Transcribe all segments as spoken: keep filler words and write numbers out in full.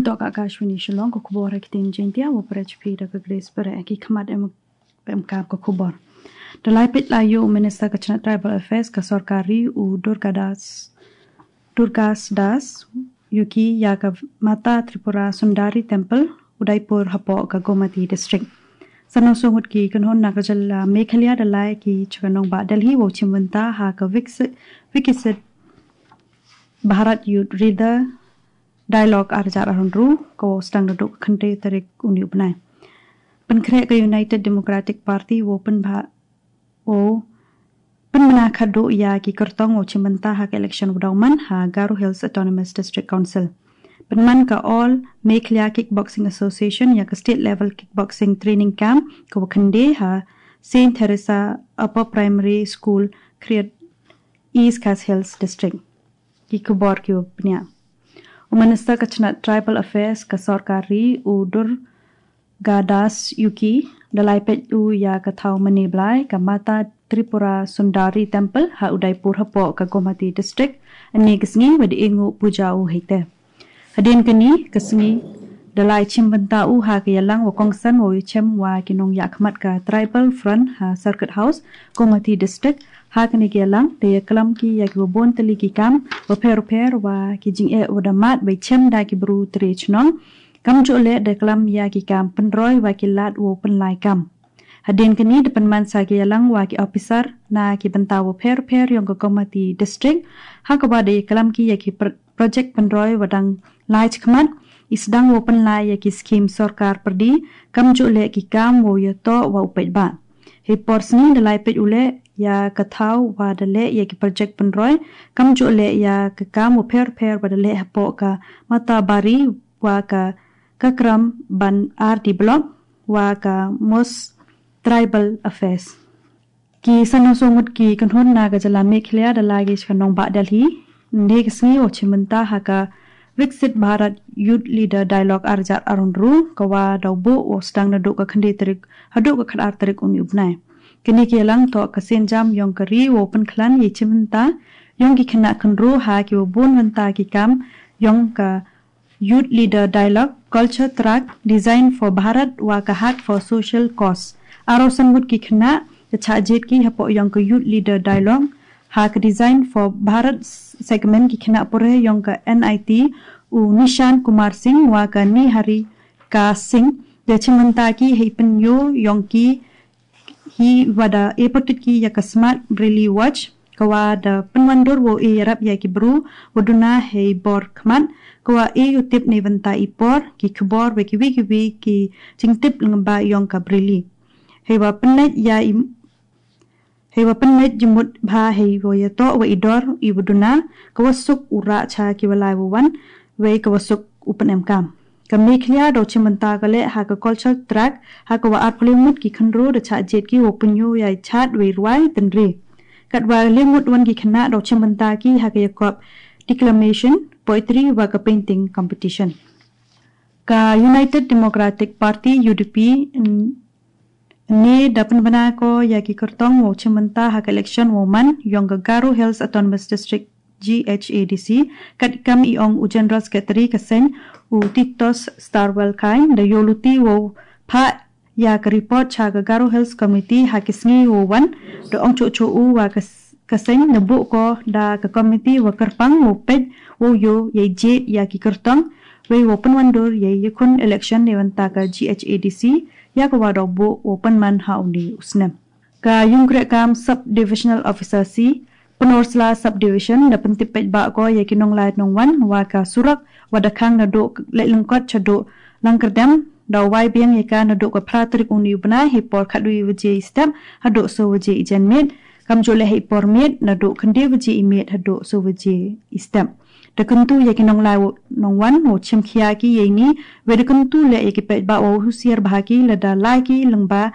Tok Akashvani Shillong, ka khubor ha ktien Jaiñtia, wa pyrshah phi da ka Grace Pere. Ki khmat em em kap ka khubor. Da lai peit la ïoh u Minister ka chnat Tribal Affairs ka sorkar ri, u Durgadas Durgas Das Yuki, ïa ka Mata Tripura Sundari Temple, Udaipur, hapoh ka Gomati District. San sawphew ngut ki kynhun na ka jylla Meghalaya da lai ki sha ka nongbah Delhi wow chimbynta ha ka Viksit, Viksit Bharat Youth Leader Dialogue ar hajar arphew hynriew, ka wow sdang naduh ka khyndai tarik une u bnai. Pynkhreh ka United Democratic Party wow pynbha wow pynbna khadduh ïa ki kyrtong wow chimbynta ha ka election wa daw man ha Garo Hills Autonomous District Council. Pynman ka All Meghalaya Kickboxing Association ïa ka State Level Kickboxing Training Camp ka wa khynde ha Saint Teresa Upper Primary School, Khriat, East Khasi Hills District. Ki khubor ki wa bniah. U Minister ka chnat Tribal Affairs ka sorkar ri, u Durgadas Yuki, da lai peit u ïa ka thaw mane blai ka Mata Tripura Sundari Temple ha Udaipur hapoh ka Gomati District. Ane ka sngi wa da ïnguh puja u heite. Hadien kane ka sngi da lai chimbynta u ha ka ïalang wa kongsan wow ïachem wa ki nongïakhmat ka Tribal Front ha Circuit House, Gomati District. Ha kane ka ïalang da ïaklam ki ïa ki wa bun tylli ki kam wa pher pher wa ki jingeh wa da mad wa ïachem da ki bru tre chnong. Kamjooh leh da klam ïa ki kam pynroi wa ki lad wow pynlai kam. Hadien kane da pynman sa ki ïalang wa ki officer na ki bynta wa pher pher yong ka Gomati District. Ha ka wa da ïaklam ki ïa ki pr- project pynroi wa dang lai chakhmat, i sdang wow pynlai ïa ki skim sorkar pyrdi, kamjooh leh ki kam wow ïatoh wa u paidbah. Hei por sngi da lai peit u leh ïa ka thaw wa da leh ïa ki project pynroi, kamjooh leh ïa ka kam wa pher pher wa da leh hapoh ka Matabari wa ka Kakram Ban R D Block wa ka Most Tribal Affairs. Ki san sawphew ngut ki kynhun na ka jylla Meghalaya da lai ki sha ka nongbah Delhi ynne ka sngi wow chimbynta ha ka Viksit Bharat Youth Leader Dialogue ar hajar arphew hynriew, ka wa daw buh wow sdang naduh ka khyndai tarik haduh ka khatar tarik une u bnai. Kane ka ïalang toh ka sienjam yong ka ri wow pynkhlan ïa i chimbynta yong ki khynnah khynroo ha ki wa bun bynta ki kam yong ka Youth Leader Dialogue, Culture Track, Design for Bharat wa ka Heart for Social Cause. Arphew san ngut ki khynnah da chah jied ki hapoh yong ka Youth Leader Dialogue ha ka Design for Bharat segment, ki khynnah pule yong ka N I T, u Nishan Kumar Singh wa ka Niharika Singh, da chimbynta ki hei pynïoh yong ki hi wa da e pyrtuid ki ïa ka Smart Braille Watch, ka wa da pynwandur wow e ïarap ïa ki bru wa duna hei bor khmat, ka wa e ïatip na bynta i por, ki khubor wa ki wi ki wi ki jingtip lyngba yong ka Braille. Hei wa pynleit ïa i hei wa pynleit jingmut bha hei wa ïatoh wa i dor i wa duna, ka wa suk u rah cha ki wa lai wa wan, wei ka wa suk u pynemkam. Ka Meghalaya daw chimbynta ka leh ha ka Culture Track, ha ka wa arphew lai ngut ki khynroo da chah jied ki wow pynïoh ïa i chad wei rwai tynrai. Katwa lai ngut wan ki khynnah daw chimbynta ki ha ka ïakop declamation, poetry wa ka painting competition. Ka United Democratic Party, U D P, n- ne da pynbna ko ïa ki kyrtong wow chimbynta ha ka election wow man yong ka Garo Hills Autonomous District, G H A D C, katkam i ong u General Secretary ka seng, u Titos Starwell Chyne, da ïoh luti wow phah ïa ka report cha ka Garo Hills Committee ha ki sngi wow wan, da ong chuh chuh u wa ka s- ka seng na buh ko da ka committee wa kyrpang wow peit wow ïoh ïa i jied ïa ki kyrtong, wei wow pynwandur ïa i ïakhun election na bynta ka G H A D C, ïa ka wa daw buh wow pynman ha une u snem. Ka Ïungkrehkam Sub Divisional Officer C, Pynursla Sub Division, da pyntip paidbah ko ïa ki nonglai nongwan wa ka surok wa da khang naduh Laitlyngkot shaduh Langkyrdem, da wai biang ïa ka naduh ka phra tarik une u bnai hei por khatwei waje i step haduh soo waje i janmiet, kamjooh leh hei por miet naduh khyndai waje i miet haduh soo waje i step. Da kyntu ïa ki nonglai nongwan wow chim khia ki ïa ini, wei da kyntu leh ïa ki paidbah wow husiar bha ki lada lai ki lyngba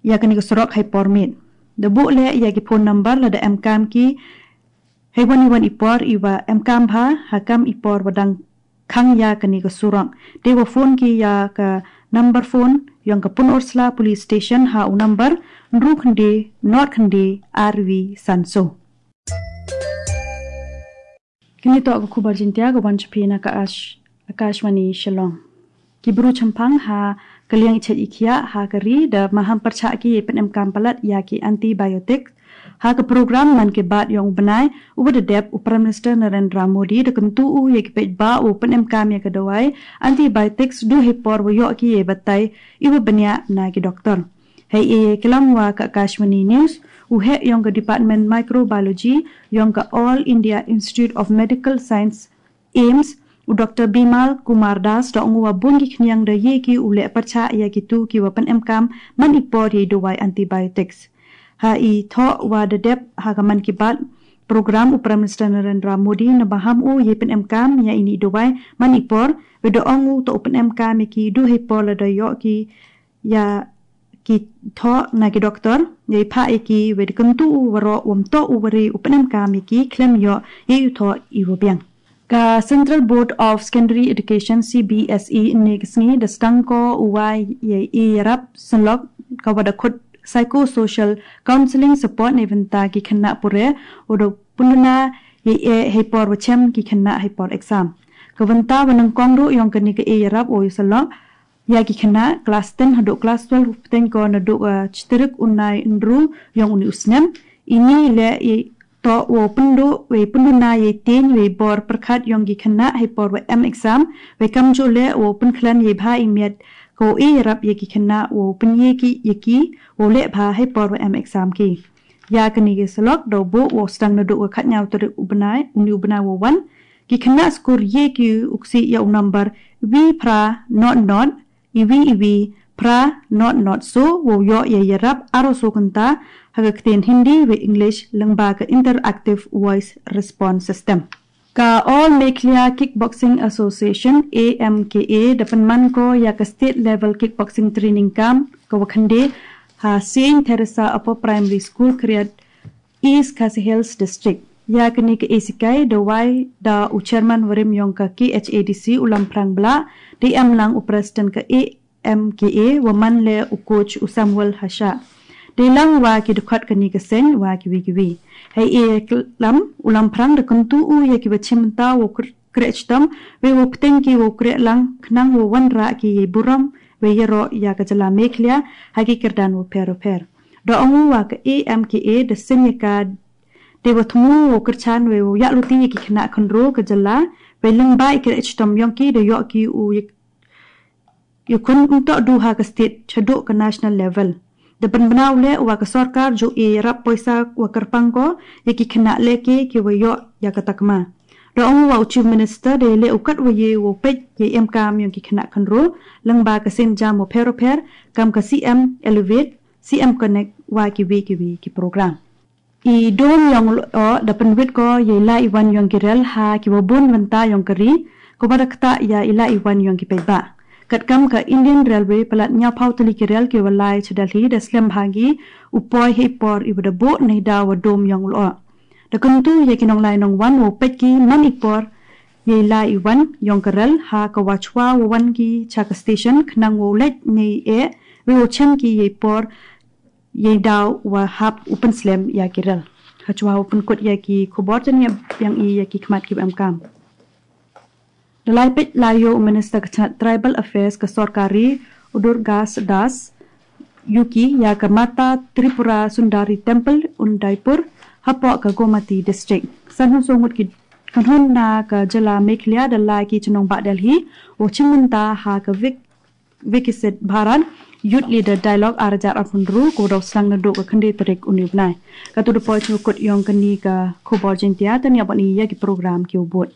ïa kane ka surok hei por miet. Da buh leh ïa ki phone number lada em kam ki hei wan i wan i por i wa em kam bha ha kam i por wa dang khang ïa kane ka surok. Te wa phone ki ïa ka number phone yong ka Pynursla Police Station ha u number hynriew khyndai nod khyndai ar wi san soo. Kine toh ka khubor Jaiñtia ka wan sha phi na ka Ash- Akashvani Shillong. Ki bru chemphang ha ka liang i chait i khiah ha ka ri da maham pyrchah ki ïa pynemkam palat ïa ki antibiotic ha ka program Mann Ki Baat yong u bnai uba da dep u Prime Minister Narendra Modi da kyntu u ïa ki paidbah u pynemkam ïa ka dawai antibiotics du hei por wa ïoh ki ïa batai iwa bniah na ki doktor. Hei e klam wa ka Akashvani News u heh yong ka Department Microbiology yong ka All India Institute of Medical Science, AIIMS, u Dr Bimal Kumar Das da ong u wa bun ki khniang da ye ki u leh pyrchah ïa ki tu ki wa pynemkam man i por ïa i dawai antibiotics. Ha i thoh wa da dep ha ka Mann Ki Baat program u Prime Minister Narendra Modi na baham u ïa pynemkam ïa ini i dawai man i por, wa da ong u to u pynemkam ïa ki du hei por la da ïoh ki ïa ki thoh na ki doktor, ïa i phah ïa ki wa da kyntu u waroh wam to u wari u pynemkam ïa ki khlem ïoh ïa u thoh i wa biang. Ka Central Board of Secondary Education, C B S E, ne ka sngi da stang ko u wa ïa i rap synlok ka wa da khut psychosocial counseling support ne bynta ki khynnah pure u da pynduna ïa e hei por wa chem ki khynnah hei por exam. Ka bynta wa nang kong ru yong ka ni ka e rap u ïa synlok ïa ki khynnah klas ten haduh klas twelve pteng ko naduh ka chitrik u nai ndru yong uni u snem. Ini le i to wo pyndu we pyndu na ye tin we bor pyrkhat yong ki khynnah hei por we em exam, we kam ju le wo pynkhlan ye bha i miat ko e rap ye ki khynnah wo pynye ki ye ki wo le bha hei por we em exam ki. Ya kani ki selok do bu wo stang naduh ka khat nyaw tarik u bnai uni u bnai wo wan. Ki khynnah skur ye ki uksi ya u number wi phra not not iwi iwi phra not not so wo yo ya yarap aro so kynta ha ka ktien Hindi we English lengba ka interactive voice response system. Ka All Meghalaya Kickboxing Association, A M K A, da pynman ko ya ka state level kickboxing training camp ka wa khynde ha Saint Teresa Upper Primary School Kriat, East Khasi Hills District. Ya kani ka esikai da wai da u chairman warim yong ka K H A D C u Lamprang Bla, da em lang u president ka A M K A wa man le u coach u Samuel Hasha. Da lang wa ki dkhot kani ka seng wa ki wi ki wi. Hei e klam u Lamprang da kyntu u ya ki wa chimta wa krech tam we wa pteng ki wa krech lang khnang wa wan ra ki ye burom we yero ya ka jala Meghalaya ha ki kerdan wa pher wa pher. Da ong u wa ka A M K A da seng ya ka de wa thmu wa kyrchan we wa ya luti ya ki khynnah khynro ka jala we lengba i krech tam yong ki da yok ki u ya kun um to du ha ka state chaduk ka national level. Da pynbna u le wa ka sorkar ju e rap poisa wa kyrpang ko ya ki khynnah le ke ki wa yok ya ka takma. Da ong wa u chief minister da le u kat wa ye wa pet ye em kam yong ki khynnah khynro lengba ka sen jam wa pher wa pher kam ka C M Elevate, C M Connect wa ki wi ki wi ki program. I dom yong lo da pynwit ko ya i la i wan yong ki rel ha ki wa bun wenta yong ka ri ko ba da kta ya i la i wan yong ki pei ba. Kat kam ka Indian Railway palat nyaw pau tali ki rel ki wa lai cha Delhi da slem ha gi u poi hei por i wa da bo nei da wa dom yong lo. Da kyntu ya ki nong lai nong wan wa pet ki man i por ya i la i wan yong ka rel ha ka wa chwa wa wan ki cha ka station khnang wa let nei e we wa chem ki ya i por ya i daw wa hap u pynslem ya ki rel. Ha chwa u pynkut ya ki khubor jan ya biang i ya ki khmat ki em kam. Da lai pet la yo u minister ka chnat tribal affairs ka sorkari u Durgas Das yuki ya ka Mata Tripura Sundari Temple Udaipur hapoh ka Gomati district. San hun songut ki kanhun na ka jala Meghalaya da lai ki chnong ba Delhi wa chimenta ha ka Vik Viksit Bharat Youth Leader Dialogue ar hajar arphew hynriew ko dau sang naduh ka khyndai tarik uni u bnai. Ka tu da poi chukut yong kani ka khubor Jaintia tania bani ya ki program ki u bud.